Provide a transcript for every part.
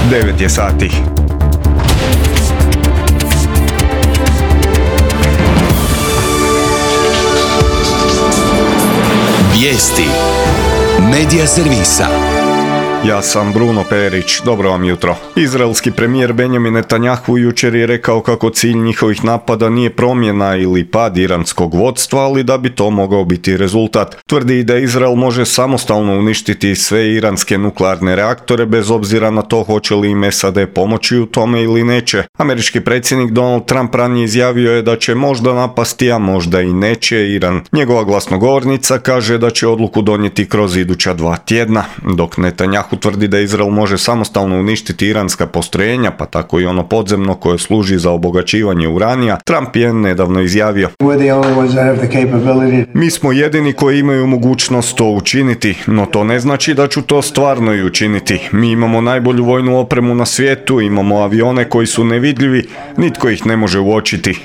9 je sati. Vijesti Medija servisa. Ja sam Bruno Perić, dobro vam jutro. Izraelski premijer Benjamin Netanjahu jučer je rekao kako cilj njihovih napada nije promjena ili pad iranskog vodstva, ali da bi to mogao biti rezultat. Tvrdi da Izrael može samostalno uništiti sve iranske nuklearne reaktore bez obzira na to hoće li im SAD pomoći u tome ili neće. Američki predsjednik Donald Trump ranije izjavio je da će možda napasti, a možda i neće Iran. Njegova glasnogovornica kaže da će odluku donijeti kroz iduća 2 tjedna, dok Netanjahu tvrdi da Izrael može samostalno uništiti iranska postrojenja, pa tako i ono podzemno koje služi za obogaćivanje uranija. Trump je nedavno izjavio: mi smo jedini koji imaju mogućnost to učiniti, no to ne znači da ću to stvarno i učiniti. Mi imamo najbolju vojnu opremu na svijetu, imamo avione koji su nevidljivi, nitko ih ne može uočiti.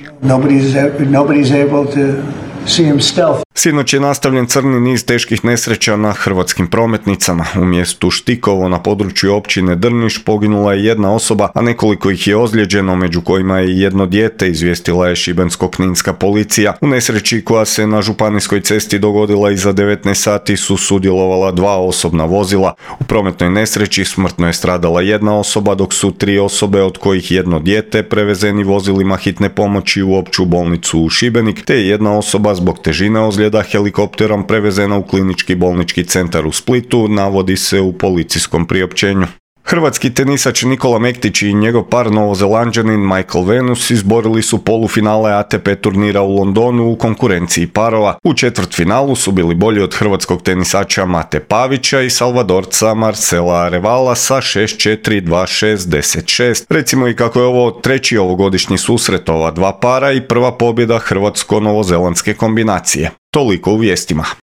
Sinoć je nastavljen crni niz teških nesreća na hrvatskim prometnicama. U mjestu Štikovo na području općine Drniš poginula je jedna osoba, a nekoliko ih je ozlijeđeno, među kojima je jedno dijete, izvijestila je šibensko-kninska policija. U nesreći koja se na županijskoj cesti dogodila iza 19 sati su sudjelovala 2 osobna vozila. U prometnoj nesreći smrtno je stradala jedna osoba, dok su 3 osobe, od kojih jedno dijete, prevezeni vozilima hitne pomoći u opću bolnicu u Šibenik, te je jedna osoba zbog težine ozljeda helikopterom prevezena u klinički bolnički centar u Splitu, navodi se u policijskom priopćenju. Hrvatski tenisač Nikola Mektić i njegov par Novozelanđanin Michael Venus izborili su polufinale ATP turnira u Londonu u konkurenciji parova. U četvrtfinalu su bili bolji od hrvatskog tenisača Mate Pavića i Salvadorca Marcela Arevala sa 6-4, 2-6, 10-6. Recimo i kako je ovo treći ovogodišnji susret ova dva para i prva pobjeda hrvatsko-novozelandske kombinacije. Toliko u vijestima.